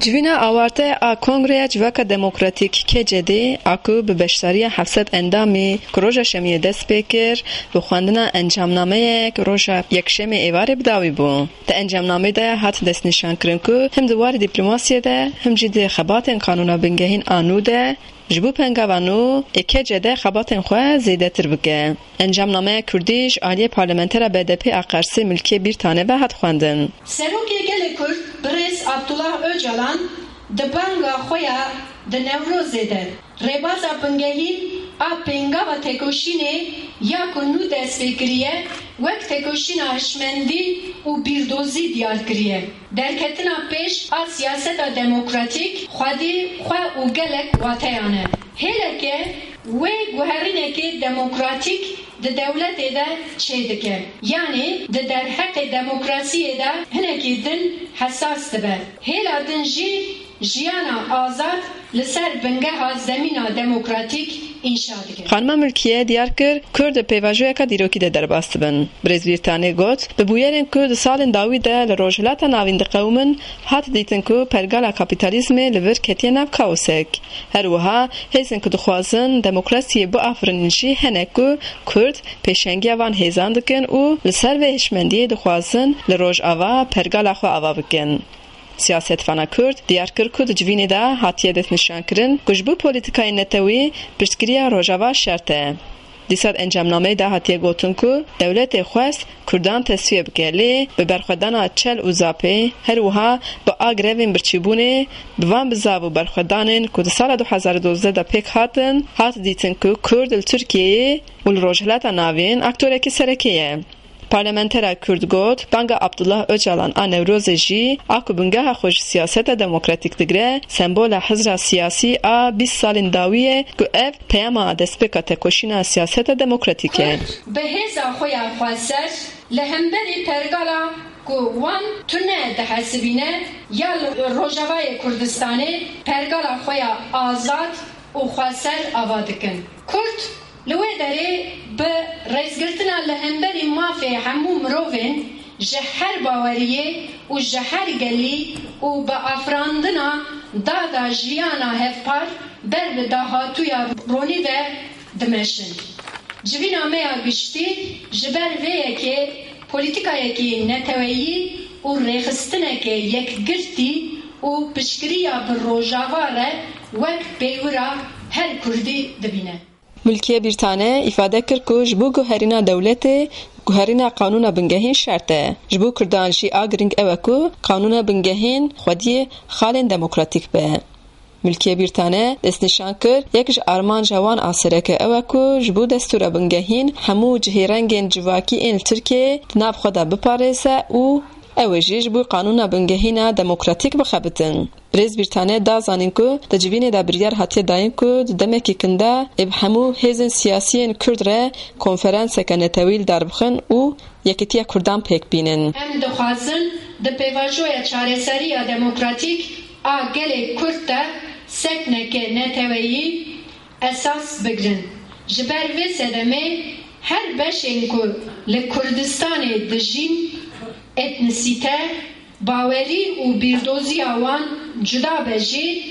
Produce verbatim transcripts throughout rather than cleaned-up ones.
Civîna awarte a Kongreya Civaka Demokratîk, K C D, a ku bi beşdariya heft sed endamî ku roja Şemiyê dest pê kir, bi xwendina encamnameyek roja Yekşemê êvarê bi dawî bû. Di encamnameyê de hat destnîşankirin ku him di warê dîplomasiyê de, him jî di xebatên qanûna bingehîn a nû de, ji bo pengava nû ê K C D xebatên xwe zêdetir bike. Encamnameya Kurdî ji aliyê parlamentera B D P a Qersê Milkiyê Bîrtane ve hat xwendin. Serokê Gelê Kurd, birêz Abdullah Ocalan, di banga xwe ya di Newrozê de rêbaza bingehîn a pêngava têkoşînê ya ku nû dest pê kiriye, wek têkoşîna hişmendî û bîrdozî diyar kiriye. Derketina pêş a siyaseta demokratîk xwedî xwe û gelek wateyan e. Hêleke wê guherînekê demokratîk di dewletê de çêdike. Yanî di derheqê demokrasiyê de hinekî din hesas dibe. Hêla din jî jiyana azad li ser bingeha zemîna demokratîk înşa dike. Xanima Milkiye diyar kir, Kurd di pêvajoyeka dîrokî de derbas dibin. Birêz Bîrtanê got, bi bûyerên ku di salên dawî de li Rojhilata Navîn diqewimin, hat dîtin ku pergala kapîtalîzmê li vir ketiye nav kaosek. Her wiha hêzên ku dixwazin demokrasiyê biafirînin jî hene ku Kurd pêşengiya van hêzan dikin û li ser vê hişmendiyê dixwazin li Rojava pergala xwe ava bikin. Siyasetvana Kurd diyar kir ku di civînê de hatiye destnîşankirin ku ji bo polîtîkayên netewî piştgiriya Rojava şert e. Dîsa di encamnameyê de hatiye gotin ku dewletê xwest Kurdan tesfiye bike, lê bi berxwedana çel û zapê, her wiha bi a grevên birçîbûnê, bi van bizav û berxwedanên ku di sala du hezar û dozdeh de pêk hatin, hat dîtin ku Kurd li Tirkiyeyê û li Rojhilata Navîn aktorekî sereke ye. Parlamentera Kurd got, banga Abdullah Ocalan a Newrozê jî, a ku bingeha xwe ji siyaseta demokratîk digre, sembola hizra siyasî a bîst salên dawî ye ku ev peyama destpêka tekoşîna siyaseta demokratîk e. Kurd bi hêza xwe ya xweser li hemberî pergala ku wan tune dihesibîne ya li Rojavayê Kurdistanê pergala xwe ya azad û xweser ava dikin. Kurd li wê derê bi rêzgirtina li hemberî mafê hemû mirovên ji her baweriyê û ji her gelî û bi afirandina dada jiyana hevpar ber bi dahatûya ronî ve dimeşin. Civîna me ya giştî ji ber vê yekê polîtîkayekî neteweyî û rêxistineke yekgirtî û piştgiriya bi Rojava re wek pêwira her Kurdî dibîne. Milkiye Bîrtane îfade kir ku ji bo guherîna dewletê, guherîna qanûna bingehîn şert e. Ji bo Kurdan jî a girîng ew e ku qanûna bingehîn xwediyê xalên demokratîk be. Milkiye Bîrtane destnîşan kir, yek ji armanca wan a sereke ew e ku ji bo destûra bingehîn hemû cihêrengên civakî ên li Tirkiyeyê di nav xwe de biparêze û ew ê jî ji bo qanûna bingehîna demokratîk bixebitin. Birêz Bîrtane da zanîn ku di civînê de biryar hatiye dayîn ku di demekî kin de ê bi hemû hêzên siyasî yên Kurd re konferanseke netewî li dar bixin û yekîtiya Kurdan pêk bînin. Em dixwazin di pêvajoya çareseriya demokratîk a gelê Kurd de sekneke neteweyî esas bigrin. Ji ber vê sedemê her beşên ku li Kurdistanê dijîn, etnisîte, bawerî û bîrdoziya wan cuda be jî,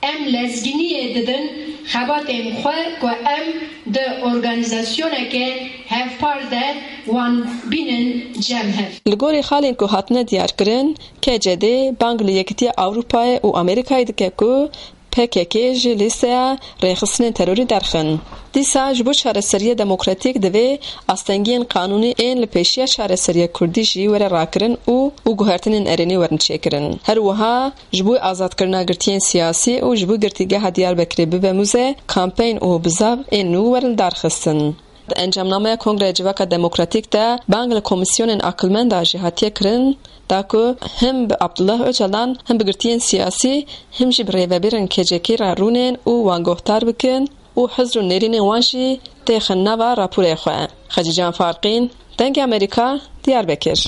em lezgîniyê didin xebatên xwe ku em di organîzasyoneke hevpar de wan bînin cem hev. Li gorî xalên ku hatine diyarkirin, K C D bang li Yekîtiya Ewropayê û Amerîkayê dike ku P K K ji lîsteya rêxistinên terorî derxin. Dîsa ji bo çareseriya demokratîk divê astengiyên qanûnî ên li pêşiya çareseriya Kurdî jî were rakirin û, û guhertinên erênî werin çêkirin. Her wiha ji bo azadkirina girtiyên siyasî û ji bo girtîgeha Diyarbekirê bibe mûze, kampeyn û bizav ên nû werin darxistin. Di encamnameya Kongreya Civaka Demokratîk de bang li komîsyonên aqilmenda jî hatiye kirin, da ku him bi Abdullah Ocalan, him bi girtiyên siyasî, him jî bi rêvebirên K C K re rûnên û wan guhdar bikin û hizr û nêrînên wan jî têxin nava raporê xwe. Xecîcan Farqîn, Dengê Amerîka, Diyarbekir.